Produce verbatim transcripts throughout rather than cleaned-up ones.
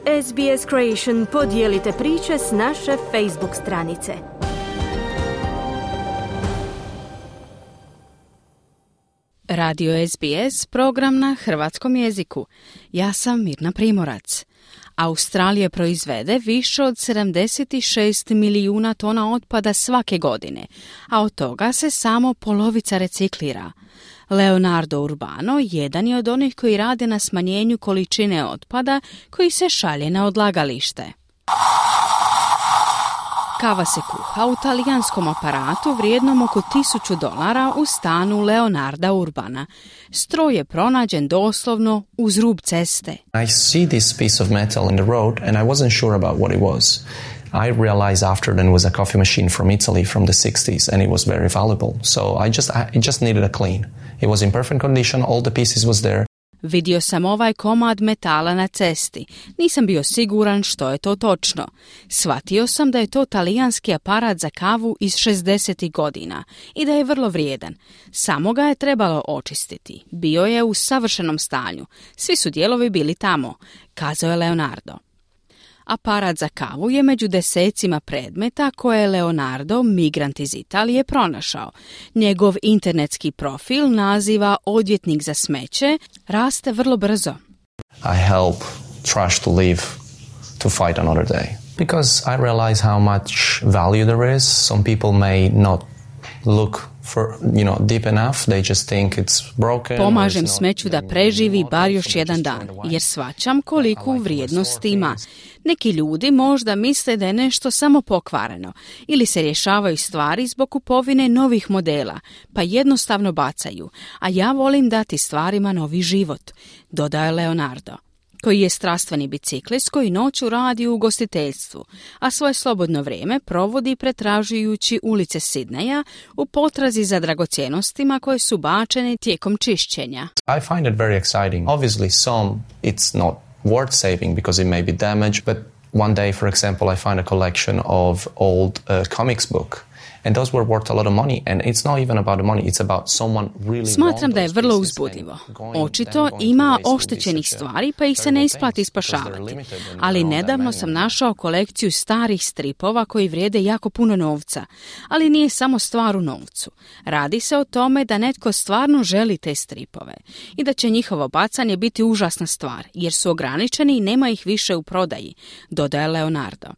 S B S Creation podijelite priče s naše Facebook stranice. Radio S B S, program na hrvatskom jeziku. Ja sam Mirna Primorac. Australija proizvede više od sedamdeset šest milijuna tona otpada svake godine, a od toga se samo polovica reciklira. Leonardo Urbano jedan je od onih koji rade na smanjenju količine otpada koji se šalje na odlagalište. Kava se kuha u talijanskom aparatu vrijednom oko tisuću dolara u stanu Leonarda Urbana. Stroj je pronađen doslovno uz rub ceste. I see this piece of metal in the road and I wasn't sure about what it was. I realized after that it was a coffee machine from Italy from the sixties and it was very valuable. So I just I, it just needed a clean. It was in perfect condition, all the pieces was there. Vidio sam ovaj komad metala na cesti. Nisam bio siguran što je to točno. Shvatio sam da je to talijanski aparat za kavu iz šezdesetih godina i da je vrlo vrijedan. Samo ga je trebalo očistiti. Bio je u savršenom stanju. Svi su dijelovi bili tamo, kazao je Leonardo. Aparat za kavu je među desecima predmeta koje je Leonardo, migrant iz Italije, pronašao. Njegov internetski profil naziva odvjetnik za smeće, raste vrlo brzo. I help trash to live, to fight another day. Because I realize how much value there is. Some people may not look for, you know, deep enough. They just think it's broken. Pomažem smeću da preživi bar još jedan dan, jer shvaćam koliku vrijednost ima. Neki ljudi možda misle da je nešto samo pokvareno ili se rješavaju stvari zbog kupovine novih modela, pa jednostavno bacaju, a ja volim dati stvarima novi život, dodao je Leonardo, koji je strastveni biciklist koji noću radi u ugostiteljstvu, a svoje slobodno vrijeme provodi pretražujući ulice Sidneja u potrazi za dragocjenostima koje su bačene tijekom čišćenja. I find it very exciting. Obviously some it's not worth saving because it may be damaged, but one day, for example, I find a collection of old uh, comics book. And those were worth a lot of money. And it's not even about the money, it's about someone really. Smatram da je vrlo uzbudljivo. Očito ima oštećenih stvari pa ih se ne isplati spašavati. Ali nedavno sam našao kolekciju starih stripova koji vrijede jako puno novca. Ali nije samo stvar u novcu. Radi se o tome da netko stvarno želi te stripove. I da će njihovo bacanje biti užasna stvar, jer su ograničeni i nema ih više u prodaji, dodaje Leonardo.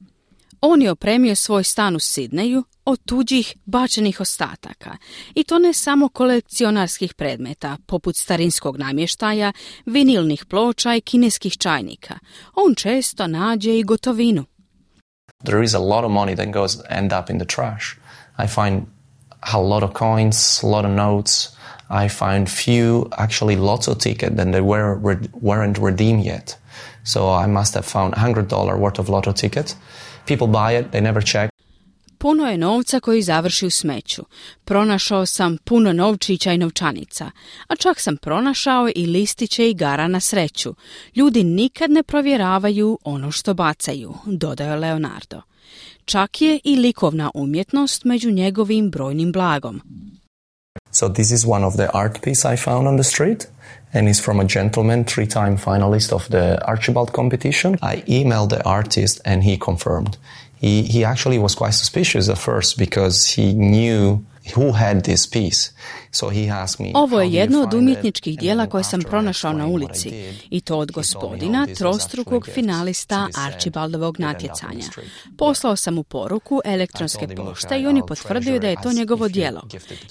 On je opremio svoj stan u Sidneju od tuđih bačenih ostataka. I to ne samo kolekcionarskih predmeta, poput starinskog namještaja, vinilnih ploča i kineskih čajnika. On često nađe i gotovinu. There is a lot of money that goes end up in the trash. I find a lot of coins, a lot of notes. I find few, actually lots of tickets that they were, weren't redeemed yet. So I must have found one hundred dollars worth of lotto tickets. People buy it, they never check. Puno je novca koji završi u smeću. Pronašao sam puno novčića i novčanica, a čak sam pronašao i listiće igara na sreću. Ljudi nikad ne provjeravaju ono što bacaju, dodao Leonardo. Čak je i likovna umjetnost među njegovim brojnim blagom. So this is one of the art piece I found on the street, and it's from a gentleman, three-time finalist of the Archibald competition. I emailed the artist and he confirmed. He, he actually was quite suspicious at first because he knew who had this piece. So he asked me, ovo je jedno od umjetničkih dijela koje sam pronašao na ulici, i to od gospodina, trostrukog finalista Archibaldovog natjecanja. Poslao sam mu poruku elektronske pošte i on je potvrdio da je to njegovo djelo,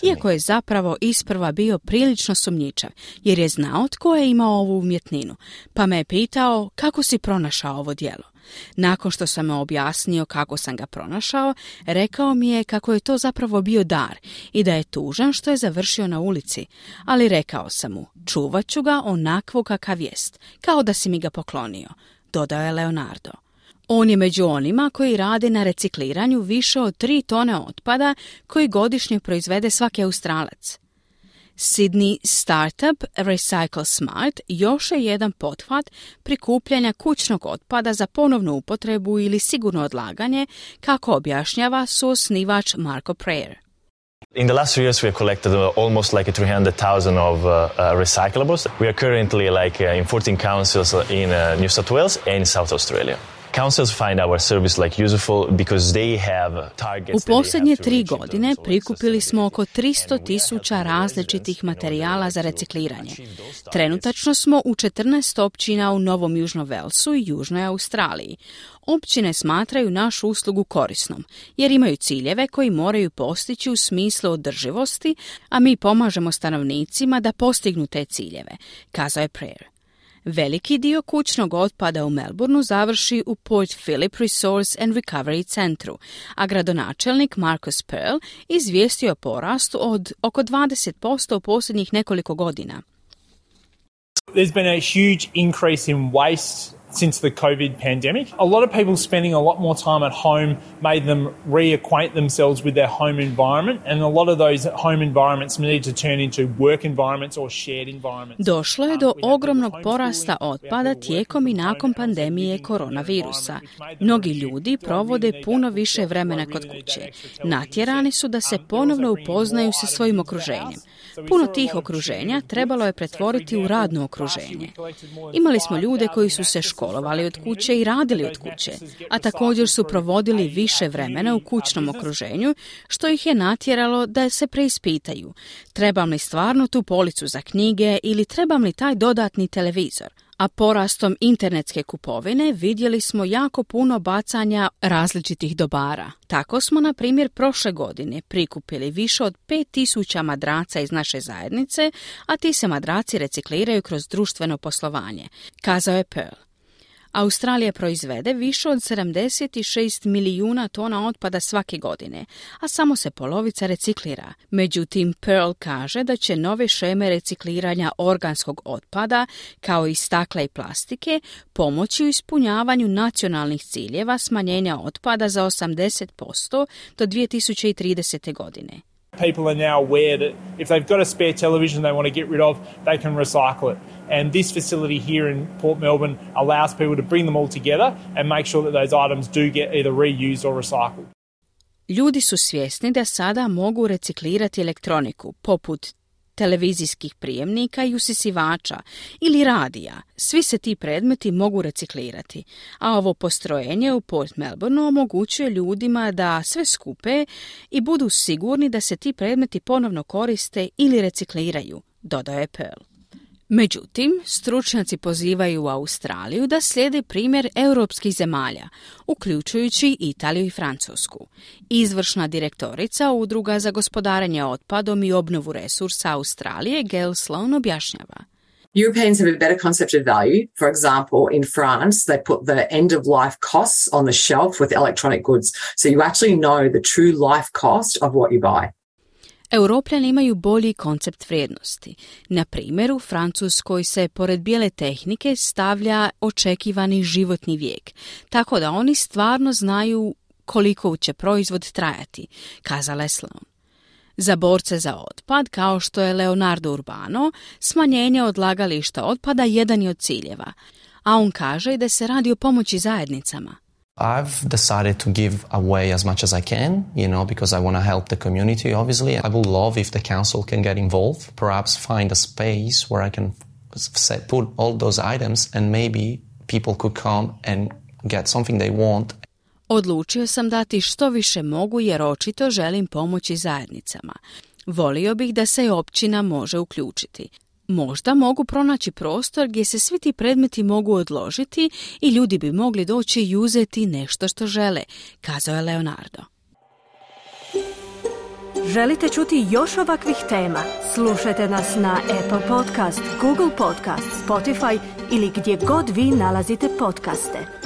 iako je zapravo isprva bio prilično sumnjičav, jer je znao tko je imao ovu umjetninu, pa me je pitao kako si pronašao ovo djelo. Nakon što sam mu objasnio kako sam ga pronašao, rekao mi je kako je to zapravo bio dar i da je tužan što je završio na ulici, ali rekao sam mu, čuvat ću ga onakvo kakav jest, kao da si mi ga poklonio, dodao je Leonardo. On je među onima koji rade na recikliranju više od tri tone otpada koji godišnje proizvede svaki Australac. Sydney Startup Recycle Smart još je jedan pothvat prikupljanja kućnog otpada za ponovnu upotrebu ili sigurno odlaganje, kako objašnjava suosnivač Marko Prayer. In the last three years, we have collected uh, almost like three hundred thousand of uh, uh, recyclables. We are currently like uh, in fourteen councils in uh, New South Wales and South Australia. Councils find our service like useful because they have targets. U posljednje tri godine prikupili smo oko tristo tisuća različitih materijala za recikliranje. Trenutačno smo u četrnaest općina u Novom Južnom Velsu i Južnoj Australiji. Općine smatraju našu uslugu korisnom, jer imaju ciljeve koji moraju postići u smislu održivosti, a mi pomažemo stanovnicima da postignu te ciljeve, kazao je Prayer. Veliki dio kućnog otpada u Melbourneu završi u Port Phillip Resource and Recovery centru, a gradonačelnik Marcus Pearl izvijestio o porastu od oko dvadeset posto u posljednjih nekoliko godina. There's been a huge increase in waste since the COVID pandemic. A lot of people spending a lot more time at home made them reacquaint themselves with their home environment, and a lot of those home environments need to turn into work environments or shared environments. Došlo je do ogromnog porasta otpada tijekom i nakon pandemije koronavirusa. Mnogi ljudi provode puno više vremena kod kuće. Natjerani su da se ponovno upoznaju sa svojim okruženjem. Puno tih okruženja trebalo je pretvoriti u radno okruženje. Imali smo ljude koji su se školovali od kuće i radili od kuće, a također su provodili više vremena u kućnom okruženju, što ih je natjeralo da se preispitaju. Trebam li stvarno tu policu za knjige ili trebam li taj dodatni televizor? A porastom internetske kupovine vidjeli smo jako puno bacanja različitih dobara. Tako smo, na primjer, prošle godine prikupili više od pet tisuća madraca iz naše zajednice, a ti se madraci recikliraju kroz društveno poslovanje, kazao je Pearl. Australija proizvede više od sedamdeset šest milijuna tona otpada svake godine, a samo se polovica reciklira. Međutim, Pearl kaže da će nove šeme recikliranja organskog otpada, kao i stakla i plastike, pomoći u ispunjavanju nacionalnih ciljeva smanjenja otpada za osamdeset posto do dvije tisuće tridesete godine. People are now aware that if they've got a spare television they want to get rid of, they can recycle it. And this facility here in Port Melbourne allows people to bring them all together and make sure that those items do get either reused or recycled. Ljudi su svjesni da sada mogu reciklirati elektroniku, poput televizijskih prijemnika i usisivača ili radija. Svi se ti predmeti mogu reciklirati, a ovo postrojenje u Port Melbourneu omogućuje ljudima da sve skupe i budu sigurni da se ti predmeti ponovno koriste ili recikliraju, dodao je Pearl. Međutim, stručnjaci pozivaju Australiju da slijedi primjer europskih zemalja, uključujući Italiju i Francusku. Izvršna direktorica Udruga za gospodarenje otpadom i obnovu resursa Australije, Gail Sloan, objašnjava. Europeans have a better concept of value. For example, in France, they put the end-of-life costs on the shelf with electronic goods. So you actually know the true life cost of what you buy. Europljani imaju bolji koncept vrijednosti. Na primjer, u Francuskoj se pored bijele tehnike stavlja očekivani životni vijek, tako da oni stvarno znaju koliko će proizvod trajati, kazala je Sloan. Za borce za otpad, kao što je Leonardo Urbano, smanjenje odlagališta otpada jedan je od ciljeva, a on kaže da se radi o pomoći zajednicama. I've decided to give away as much as I can, you know, because I want to help the community, obviously. I would love if the council can get involved, perhaps find a space where I can set, put all those items and maybe people could come and get something they want. Odlučio sam dati što više mogu jer očito želim pomoći zajednicama. Volio bih da se općina može uključiti. Možda mogu pronaći prostor gdje se svi ti predmeti mogu odložiti i ljudi bi mogli doći i uzeti nešto što žele, kazao je Leonardo. Želite čuti još ovakvih tema? Slušajte nas na Apple Podcast, Google Podcast, Spotify ili gdje god vi nalazite podcaste.